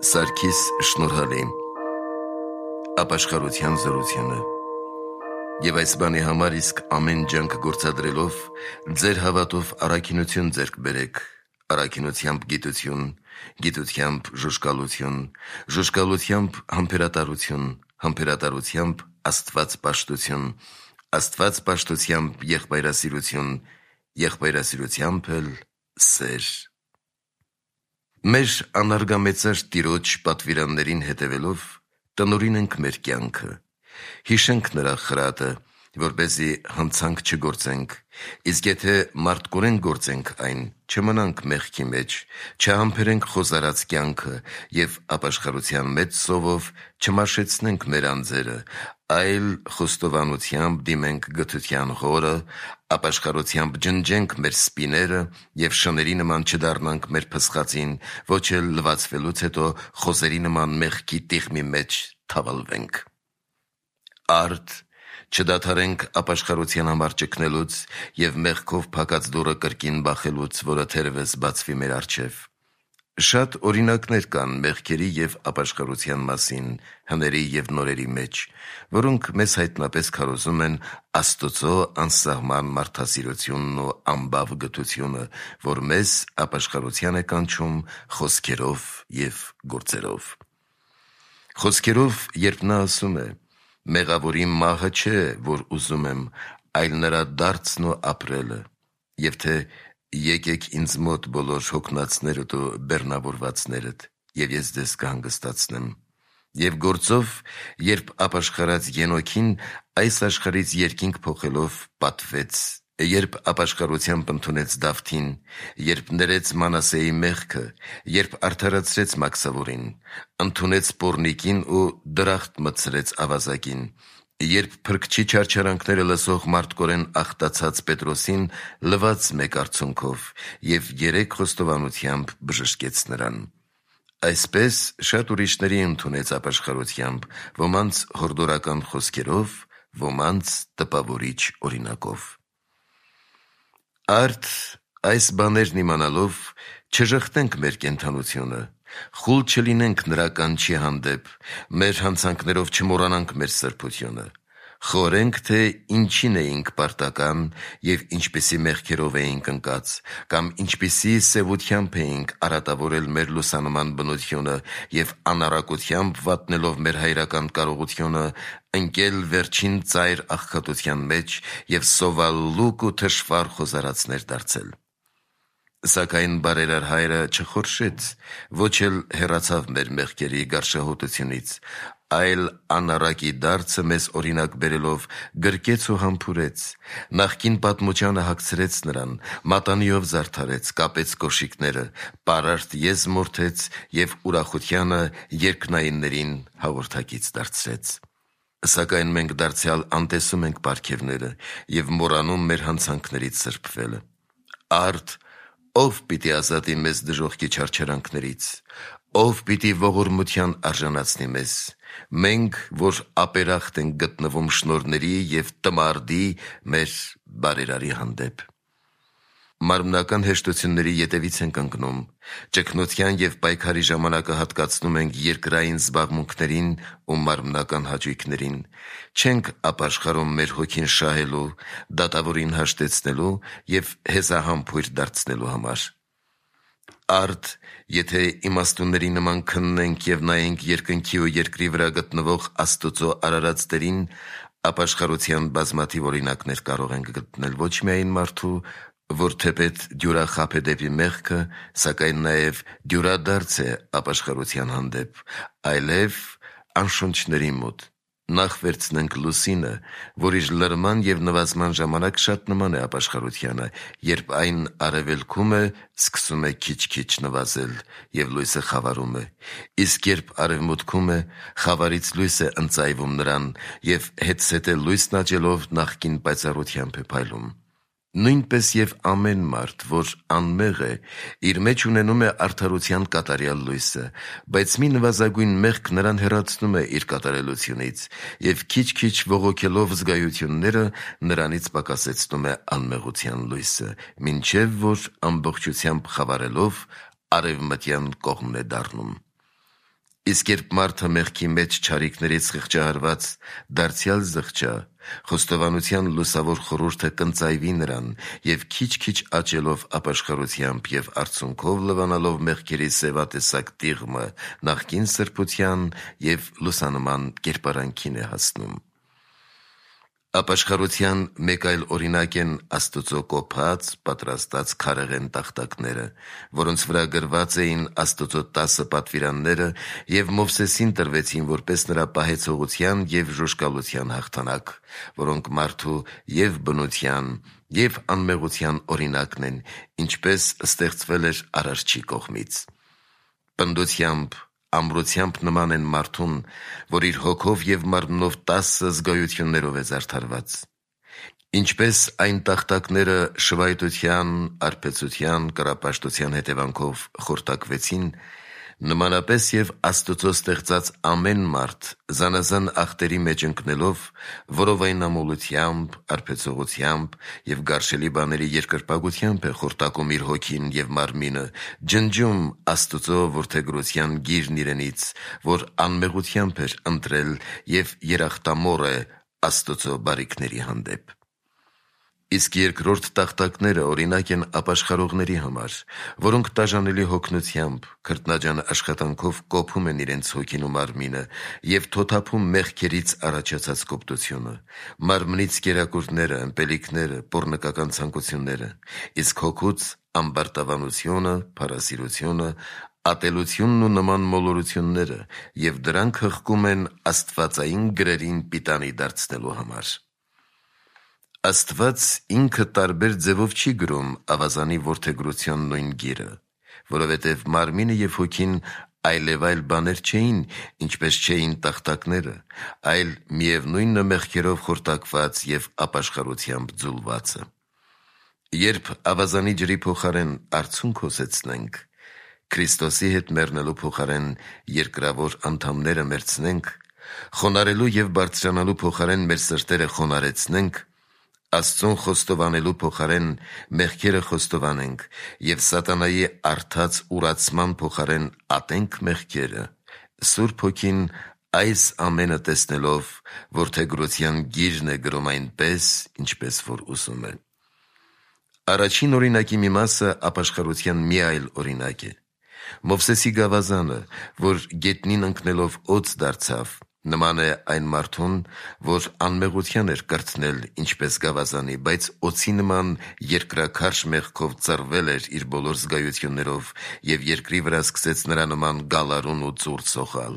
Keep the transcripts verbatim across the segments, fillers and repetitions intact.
Սարգիս Շնորհալի Ապաշխարության զորությունը Եվ այս բանի համար իսկ ամեն ջանք գործադրելով ձեր հավատով առաքինություն ձեռք բերեք, առաքինությամբ գիտություն, գիտությամբ ժուժկալություն, ժուժկալությամբ համբերատարություն, համբերատարությամբ աստվածպաշտություն, աստվածպաշտությամբ եղբայրասիրություն, եղբայրասիրությամբ էլ սեր։ Մեր անարգամեծար Տիրոջ պատվիրաններին հետևելով տնօրին ենք մեր կյանքը, հիշենք նրա խրատը, որպեսզի հանցանք չգործենք, իսկ եթե մարտկորեն գործենք այն, չմնանք մեղքի մեջ, չհամբերենք խոզարած կյանքը և ապաշխարության մեծ սովով չմաշեցնենք մեր անձերը, այլ խոստովանությամբ դիմենք գթության հորը, ապաշխարությամբ ջնջենք մեր սպիները և շների նման չդառնանք մեր փսխածին, ոչ էլ լվացվելուց հետո խոզերի նման մեղքի տիղմի մեջ թավալվենք։ Արդ չդադարենք ապաշխարության համար ճգնելուց և մեղքով փակած դուռը կրկին բախելուց, որը թերևս բացվի մեր առջև։ Շատ օրինակներ կան մեղքերի և ապաշխարության մասին հների և նորերի մեջ, որոնք մեզ հայտնապես քարոզում են Աստծո անսահման մարդասիրությունն ու անբավ գթությունը, որ մեզ ապաշխարության է կանչում խոսքերով և գործերով։ Խոսքերով, երբ նա ասում է. «Մեղավորի մահը չէ, որ ուզում եմ, այլ նրա դարձն ու ապրելը», և թե «Եկեք ինձ մոտ բոլոր հոգնածներդ ու բեռնավորվածներդ, և ես ձեզ կհանգստացնեմ», և գործով, երբ ապաշխարած Ենոքին այս աշխարհից երկինք փոխելով պատվեց, երբ ապաշխարությամբ ընդունեց Դավթին, երբ ներեց Մանասեի մեղքը, երբ արդարացրեց Մաքսավորին, ընդունեց Պոռնիկին ու դրախտ մտցրեց ավազակին, երբ փրկչի չարչարանքները լսող մարտկորեն աղտացած Պետրոսին լվաց մեկ արցունքով և երեք խոստովանությամբ բժշկեց նրան։ Այսպես շատ ուրիշների ընդունեց ապաշխարությամբ, ոմանց հորդորական խոսքերով, ոմանց տպավորիչ օրինակով։ Արդ այս բաներն իմանալով չժխտենք մեր կենդանությունը, խուլ չլինենք նրա կանչի հանդեպ, մեր հանցանքներով չմոռանանք մեր սրբությունը, խորենք, թե ինչին էինք պարտական և ինչպիսի մեղքերով էինք ընկած, կամ ինչպիսի սևությամբ էինք արատավորել մեր լուսանման բնությունը և անառակությամբ վատնելով մեր հայրական կարողությունը, ընկել վերջին ծայր աղքատության մեջ և սովալ լուկ ու թշվառ խոզարածներ դարձել։ Սակայն բարերար Հայրը չխորշեց, ոչ էլ հեռացավ մեր մեղքերի գարշահոտությունից, այլ անառակի դարձը մեզ օրինակ բերելով գրկեց ու համբուրեց, նախկին պատմությանը հագցրեց նրան, մատանիով զարդարեց, կապեց կոշիկները, պարարտ եզ մորթեց և ուրախությանը երկնայիններին հաղորդակից դարձրեց։ Սակայն մենք դարձյալ անտեսում ենք պարգևները և մոռանում մեր հանցանքներից սրբվելը։ Արդ ո՞վ պիտի ազատի մեզ դժոխքի չարչարանքներից, ո՞վ պիտի ողորմության արժանացնի մեզ, մենք, որ ապերախտ ենք գտնվում շնորհների և տմարդի մեր բարերարի հանդեպ։ Մարմնական հեշտությունների ետևից ենք ընկնում, ճգնության և պայքարի ժամանակը հատկացնում ենք երկրային զբաղմունքներին ու մարմնական հաճույքներին, չենք ապաշխարում մեր հոգին շահելու, դատավորին հաշտեցնելու և հեզահամբույր դարձնելու համար։ Արդ եթե իմաստունների նման քննենք և նայենք երկնքի ու երկրի վրա գտնվող Աստծո արարած Տերին, ապաշխարության բազմաթիվ օրինակներ կարող ենք գտնել ոչ միայն մարդու, որ թեպետ դյուրախաբ է դեպի մեղքը, սակայն նաև դյուրադարձ է ապաշխարության հանդեպ, այլև անշունչների մոտ։ Նախ վերցնենք լուսինը, որ իր լրման և նվազման ժամանակ շատ նման է ապաշխարությանը, երբ այն արևելքում է, սկսում է քիչ-քիչ նվազել և լույսը խավարում է, իսկ երբ արևմուտքում է, խավարից լույս է ընծայվում նրան և հետզհետե լույսն աճելով նախկին պայծառությամբ է փայլում։ Նույնպես և ամեն մարդ, որ անմեղ է, իր մեջ ունենում է արդարության կատարյալ լույսը, բայց մի նվազագույն մեղք նրան հեռացնում է իր կատարելությունից և քիչ-քիչ բողոքելով զգայությունները նրանից պակասեցնում է անմեղության լույսը, մինչև որ ամբողջությամբ խավարելով արևմտյան կողմն է դառնում։ Իսկ երբ մարդը մեղքի մեջ չարիքներից խղճահարված դարձյալ զղջա, խոստովանության լուսավոր խորհուրդը կընծայվի նրան և քիչ-քիչ աճելով ապաշխարությամբ և արցունքով լվանալով մեղքերի սևատեսակ տիղմը նախկին սրբության և լուսանման կերպարանքին է հասնում։ Ապաշխարության մեկ այլ օրինակ են Աստծո կոփած, պատրաստած քարեղեն տախտակները, որոնց վրա գրված էին Աստծո տասը պատվիրանները և Մովսեսին տրվեցին որպես նրա պահեցողության և ժուժկալության հաղթանակ, որոնք մարդու և բնության, և անմեղության օրինակն են, ինչպես ստեղծվել էր Արարչի կողմից։ Պնդությամբ, ամրությամբ նման են մարդուն, որ իր հոգով և մարմնով տասը զգայություններով է զարդարված։ Ինչպես այն տախտակները շվայտության, արբեցության, կռապաշտության հետևանքով խորտակվեցին, նմանապես և Աստծո ստեղծած ամեն մարդ զանազան ախտերի մեջ ընկնելով, որովայնամոլությամբ, արբեցողությամբ և գարշելի բաների երկրպագությամբ է խորտակում իր հոգին և մարմինը, ջնջում Աստծո որդեգրության գիրն իրենից, որ անմեղությամբ էր ընտրել և երախտամոռ է Աստծո բարիքների հանդեպ։ Իսկ երկրորդ տախտակները օրինակ են ապաշխարողների համար, որոնք տաժանելի հոգնությամբ, քրտնաջան աշխատանքով կոփում են իրենց հոգին ու մարմինը և թոթափում մեղքերից առաջացած կոպտությունը, մարմնից կերակուրները, ըմպելիքները, պոռնկական ցանկությունները, իսկ հոգուց ամբարտավանությունը, փառասիրությունը, ատելությունն ու նման մոլորությունները, և դրանք հղկում են աստվածային գրերին պիտանի դարձնելու համար։ Աստված ինքը տարբեր ձևով չի գրում ավազանի որդեգրության նույն գիրը, որովհետև մարմինը և հոգին այլևայլ բաներ չէին, ինչպես չէին տախտակները, այլ միևնույնը մեղքերով խորտակված և ապաշխարությամբ ձուլվածը։ Երբ ավազանի ջրի փոխարեն արցունք հոսեցնենք, Քրիստոսի հետ մեռնելու փոխարեն երկրավոր անդամները մերձնենք, խոնարհելու և բարձրանալու փոխարեն մեր սրտերը խոնարհեցնենք, Աստծուն խոստովանելու փոխարեն մեղքերը խոստովանենք և սատանայի առթած ուրացման փոխարեն ատենք մեղքերը, Սուրբ Հոգին այս ամենը տեսնելով որդեգրության գիրն է գրում այնպես, ինչպես որ ուզում է։ Առաջին օրինակի մի մասը ապաշխարության մի այլ օրինակ է։ Մովսեսի գավազանը, որ գետնին ընկնելով օձ դարձավ, նման է այն մարդուն, որ անմեղության էր կրթնել ինչպես գավազանի, բայց օձի նման երկրաքարշ մեղքով ծռվել էր իր բոլոր զգայություններով և երկրի վրա սկսեց նրա նման գալարուն ու ծուռ սողալ։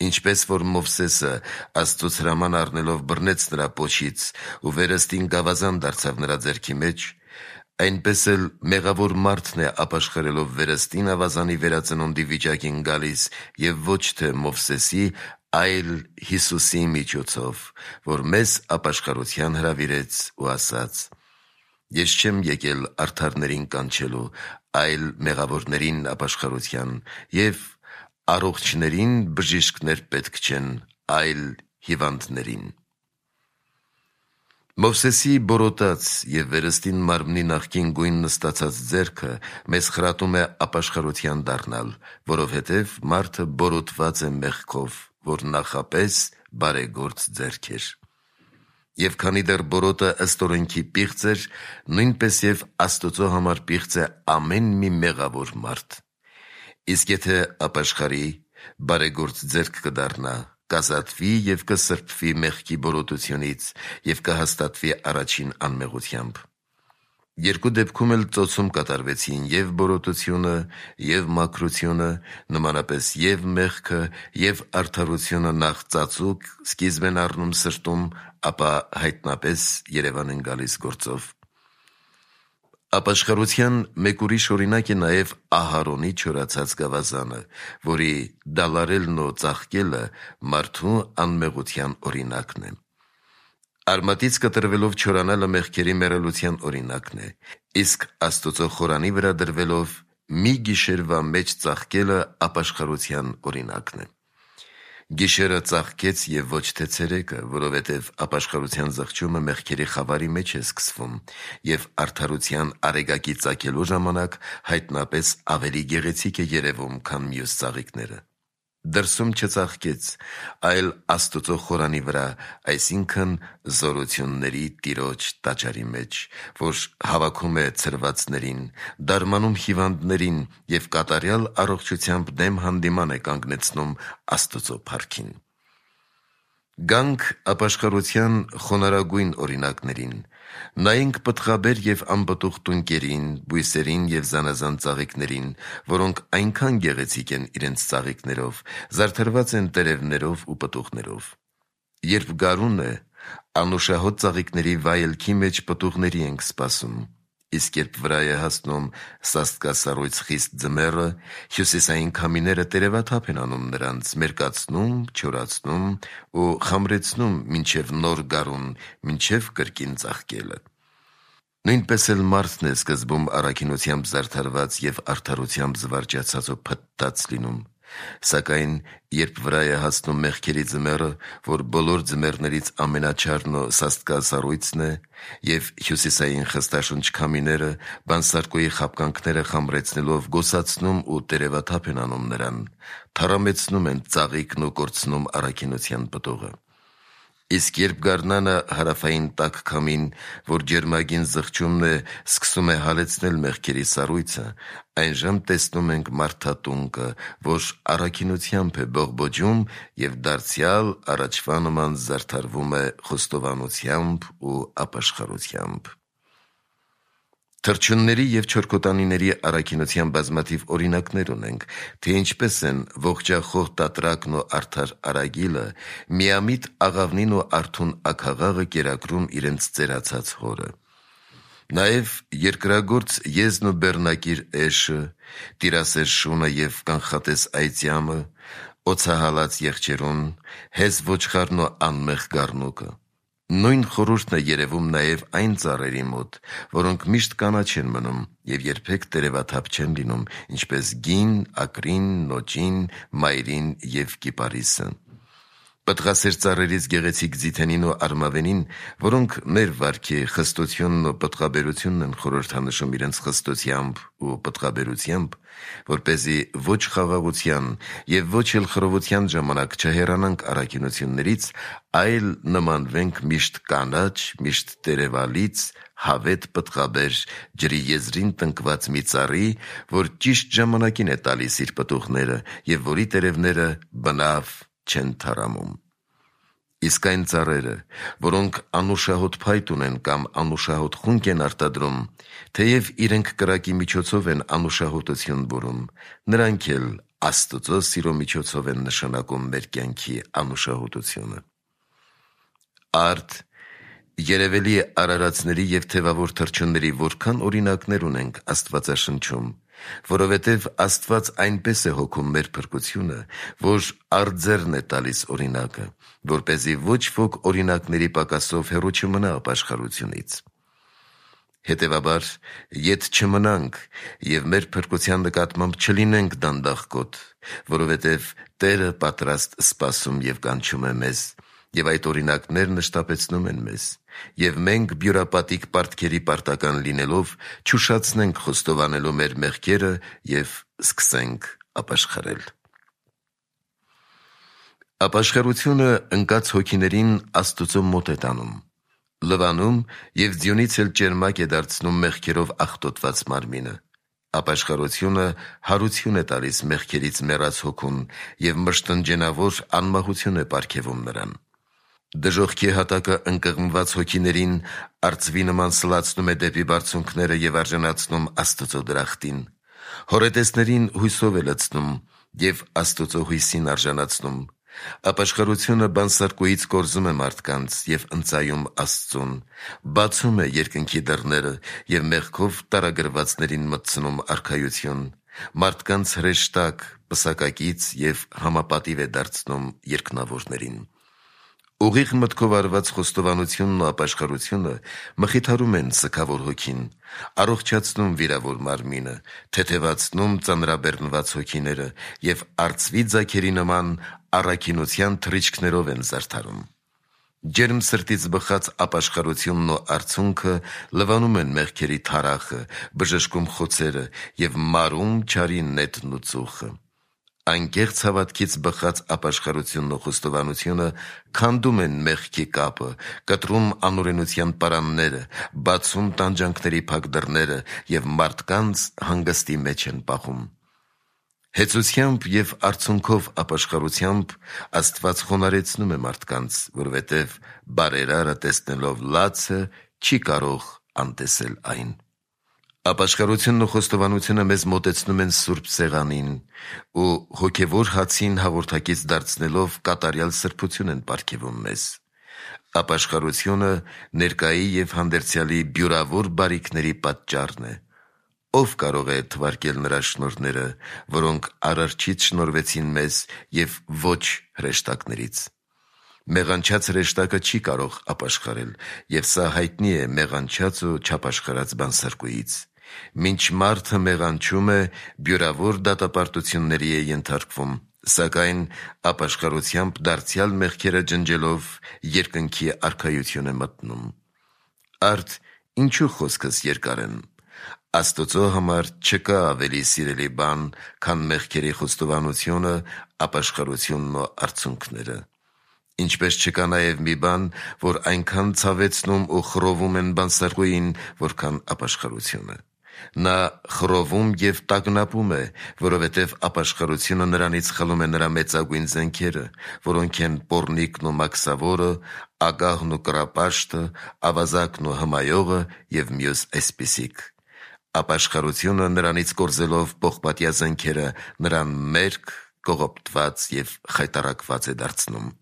Ինչպես որ Մովսեսը Աստծուց հրաման առնելով բռնեց նրա պոչից ու վերստին գավազան դարձավ նրա ձեռքի մեջ, այնպես էլ մեղավոր մարդն է ապաշխարելով վերստին ավազանի վերածնունդի վիճակին գալիս և ոչ թե Մովսեսի, այլ Հիսուսի միջոցով, որ մեզ ապաշխարության հրավիրեց ու ասաց. «Ես չեմ եկել արդարներին կանչելու, այլ մեղավորներին ապաշխարության, և առողջներին բժիշկներ պետք չեն, այլ հիվանդներին»։ Մովսեսի բորոտած և վերստին մարմնի նախկին գույնն ստացած ձեռքը մեզ խրատում է ապաշխարության դառնալ, որովհետև մարդը բորոտված է մեղքով, որ նախապես բարեգործ ձեռք էր։ Եվ քանի դեռ բորոտը ըստ օրենքի պիղծ էր, նույնպես և Աստծո համար պիղծ է ամեն մի մեղավոր մարդ։ Իսկ եթե ապաշխարի, բարեգործ ձեռք կդառնա, կազատվի և կսրբվի մեղքի բորոտությունից և կհաստատվի առաջին անմեղությամբ։ Երկու դեպքում էլ ծոցում կատարվեցին և բորոտությունը, և մաքրությունը, նմանապես և մեղքը, և արդարությունը նախ ծածուկ սկիզբ են առնում սրտում, ապա հայտնապես երևան են գալիս գործով։ Ապաշխարության մեկ ուրիշ օրինակ է նաև Ահարոնի չորացած գավազանը, որի դալարելն ու ծաղկելը մարդու անմեղության օրինակն է։ Արմատից կտրվելով չորանալը մեղքերի մեռելության օրինակն է, իսկ Աստծո խորանի վրա դրվելով մի գիշերվա մեջ ծաղկելը ապաշխարության օրինակն է։ Գիշերը ծաղկեց և ոչ թե ցերեկը, որովհետև ապաշխարության զղջումը մեղքերի խավարի մեջ է սկսվում և արդարության արեգակի ծագելու ժամանակ հայտնապես ավելի գեղեցիկ է երևում, քան մյուս ծաղիկները։ դրսում չծաղկեց, այլ Աստուծո խորանի վրա, այսինքն զորությունների Տիրոջ տաճարի մեջ, որ հավաքում է ցրվածներին, դարմանում հիվանդներին և կատարյալ առողջությամբ դեմ հանդիման է կանգնեցնում Աստուծո փառքին։ Գանք ապաշխարության խոնարհագույն օրինակներին, նայենք պտղաբեր և անպտուղ տունկերին, բույսերին և զանազան ծաղիկներին, որոնք այնքան գեղեցիկ են իրենց ծաղիկներով, զարդարված են տերևներով ու պտուղներով։ Երբ գարուն է, անուշահոտ ծաղիկների վայելքի մեջ պտուղների ենք սպասում, իսկ երբ վրա է հասնում սաստկասառույց խիստ ձմեռը, հյուսիսային քամիները տերևաթափ են անում նրանց, մերկացնում, չորացնում ու խամրեցնում մինչև նոր գարուն, մինչև կրկին ծաղկելը։ Նույնպես էլ մարդն է սկզբում առաքինությամբ զարդարված և արդարությամբ զվարճացած ու փտտած լինում, սակայն երբ վրա է հասնում մեղքերի ձմեռը, որ բոլոր ձմեռներից ամենաչարն ու սաստկասառույցն է, և հյուսիսային խստաշունչ քամիները բանսարկուի խաբկանքները խամրեցնելով գոսացնում ու տերևաթափ են անում նրան, թառամեցնում են ծաղիկն ու կորցնում առաքինության պտուղը։ Իսկ երբ գարնանը հարավային տաք քամին, որ ջերմագին զղջումն է, սկսում է հալեցնել մեղքերի սառույցը, այնժամ տեսնում ենք մարդատունկը, որ առաքինությամբ է բողբոջում և դարձյալ առաջվա նման զարդարվում է խոստովանությամբ ու ապաշխարությամբ։ Թռչունների և չորքոտանիների առաքինության բազմաթիվ օրինակներ ունենք, թե ինչպես են ողջախոհ տատրակն ու արդար արագիլը միամիտ աղավնին ու արթուն աքաղաղը կերակրում իրենց ծերացած հորը։ Նաև երկրագործ եզն ու բեռնակիր էշը, տիրասեր շունը և կանխատես այծյամը, օձահալած եղջերուն, հեզ ոչխարն ու անմեղ գառնուկը։ Նույն խորհուրդն է երևում նաև այն ծառերի մոտ, որոնք միշտ կանաչ են մնում և երբեք տերևաթափ չեն լինում, ինչպես գին, ակրին, նոճին, մայրին և կիպարիսը։ Պտղասեր ծառերից գեղեցիկ ձիթենին ու արմավենին, որոնք մեր վարքի խստությունն ու պտղաբերությունն են խորհրդանշում իրենց խստությամբ ու պտղաբերությամբ, որպեսզի ոչ խաղաղության և ոչ էլ խռովության ժամանակ չհեռանանք առաքինություններից, այլ նմանվենք միշտ կանաչ, միշտ տերևալից, հավետ պտղաբեր, ջրի եզրին տնկված մի ծառի, որ ճիշտ ժամանակին է տալիս իր պտուղները և որի տերևները բնավ չեն թառամում։ Իսկ այն ծառերը, որոնք անուշահոտ փայտ ունեն կամ անուշահոտ խունկ են արտադրում, թեև իրենք կրակի միջոցով են անուշահոտություն բուրում, նրանք էլ Աստուծո սիրո միջոցով են նշանակում մեր կյանքի անուշահոտությունը։ Արդ, երևելի արարածների և թևավոր թռչունների որքան օրինակներ ունենք Աստվածաշնչում, որովհետև Աստված այնպես է հոգում մեր փրկությունը, որ արձեռն է տալիս օրինակը, որպեսզի ոչ ոք օրինակների պակասով հեռու չմնա ապաշխարությունից։ Հետևաբար, ետ չմնանք և մեր փրկության նկատմամբ չլինենք դանդաղկոտ, որովհետև Տերը պատրաստ սպասում և կանչում է մեզ, և այդ օրինակներն շտապեցնում են մեզ, և մենք բյուրապատիկ պարտքերի պարտական լինելով չուշացնենք խոստովանելու մեր մեղքերը և սկսենք ապաշխարել։ Ապաշխարությունը ընկած հոգիներին Աստուծո մոտ է տանում, լվանում և ձյունից էլ ճերմակ է դարձնում մեղքերով աղտոտված մարմինը։ Ապաշխարությունը հարություն է տալիս մեղքերից մեռած հոգուն և մշտնջենավոր անմահություն է պարգևում նրան։ Դժոխքի հատակը ընկղմված հոգիներին արծվի նման սլացնում է դեպի բարձունքները և արժանացնում Աստծո դրախտին։ Հորետեսներին հույսով է լցնում և Աստուծո հույսին արժանացնում։ Ապաշխարությունը բանսարկուից կորզում է մարդկանց և ընծայում Աստծուն, բացում է երկնքի դռները և մեղքով տարագրվածներին մտցնում արքայություն, մարդկանց հրեշտակ, պսակակից և համապատիվ է դարձնում երկնավորներին։ Ուղիղ մտքով արված խոստովանությունն ու ապաշխարությունը մխիթարում են սգավոր հոգին, առողջացնում վիրավոր մարմինը, թեթևացնում ծանրաբեռնված հոգիները և արծվի ձագերի նման առաքինության թռիչքներով են զարդարում։ Ջերմ սրտից բխած ապաշխարությունն ու արցունքը լվանում են մեղքերի թարախը, բժշկում խոցերը և մարում չարի նետն ու ծուխը։ Անկեղծ հավատքից բխած ապաշխարությունն ու խոստովանությունը քանդում են մեղքի կապը, կտրում անօրենության պարանները, բացում տանջանքների փակ դռները և մարդկանց հանգստի մեջ են պահում։ Հեծությամբ և արցունքով ապաշխարությամբ Աստված խոնարհեցնում է մարդկանց, որովհետև բարերարը տեսնելով լացը չի կարող անտեսել այն։ Ապաշխարությունն ու խոստովանությունը մեզ մոտեցնում են Սուրբ Սեղանին ու հոգևոր հացին հաղորդակից դարձնելով կատարյալ սրբություն են պարգևում մեզ։ Ապաշխարությունը ներկայի և հանդերձյալի բյուրավոր բարիքների պատճառն է։ Ո՞վ կարող է թվարկել նրա շնորհները, որոնք Արարչից շնորհվեցին մեզ և ոչ հրեշտակներից։ Մեղանչած հրեշտակը չի կարող ապաշխարել, և սա հայտնի է մեղանչած ու չապաշխարած բանսարկուից։ Մինչ մարդը մեղանչում է, բյուրավոր դատապարտությունների է ենթարկվում, սակայն ապաշխարությամբ դարձյալ մեղքերը ջնջելով երկնքի արքայություն է մտնում։ Արդ ինչու խոսքս երկար են։ Աստծո համար չկա ավելի սիրելի բան, քան մեղքերի խոստովանությունը, ապաշխարությունն ու արցունքները։ Ինչպես չկա նաև մի բան, որ այնքան ցավեցնում ու խռովում են բանսարկուին, որքան ապաշխարությունը։ Նա խռովում և տագնապում է, որովհետև ապաշխարությունը նրանից խլում է նրա մեծագույն զենքերը, որոնք են պոռնիկն ու մաքսավորը, ագահն ու կռապաշտը, ավազակն ու հմայողը և մյուս այսպիսիք։ Ապաշխարությունը նրանից կորզելով պողպատյա զենքերը նրան մերկ, կողոպտված և խայտառակված է դարձնում։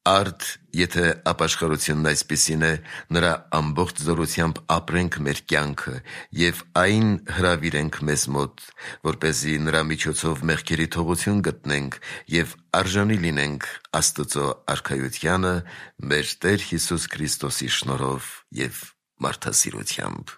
Արդ եթե ապաշխարությունն այսպիսին է, նրա ամբողջ զորությամբ ապրենք մեր կյանքը և այն հրավիրենք մեզ մոտ, որպեսզի նրա միջոցով մեղքերի թողություն գտնենք և արժանի լինենք Աստծո արքայությանը մեր Տեր Հիսուս Քրիստոսի շնորհով և մարդասիրությամբ։